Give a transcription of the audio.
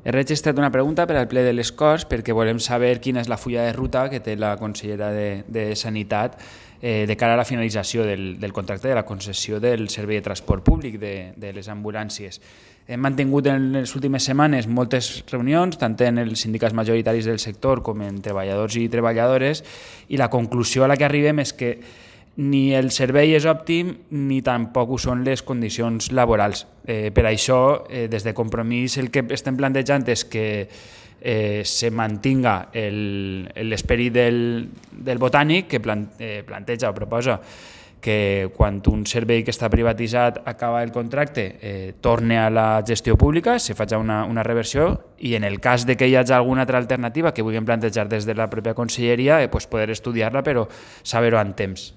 He registrat una pregunta per al ple de les Corts perquè volem saber quina és la fulla de ruta que té la consellera de Sanitat de cara a la finalització del contracte de la concessió del servei de transport públic de les ambulàncies. Hem mantingut en les últimes setmanes moltes reunions, tant en els sindicats majoritaris del sector com en treballadors i treballadores, i la conclusió a la que arribem és que ni el servei és òptim ni tampoc ho són les condicions laborals. Per això, des de Compromís, el que estem plantejant és que se mantinga l'esperit del Botànic, que planteja o proposa que quan un servei que està privatitzat acaba el contracte torni a la gestió pública, se faci una reversió, i en el cas de que hi hagi alguna altra alternativa que vulguem plantejar des de la pròpia conselleria, poder estudiar-la però saber-ho en temps.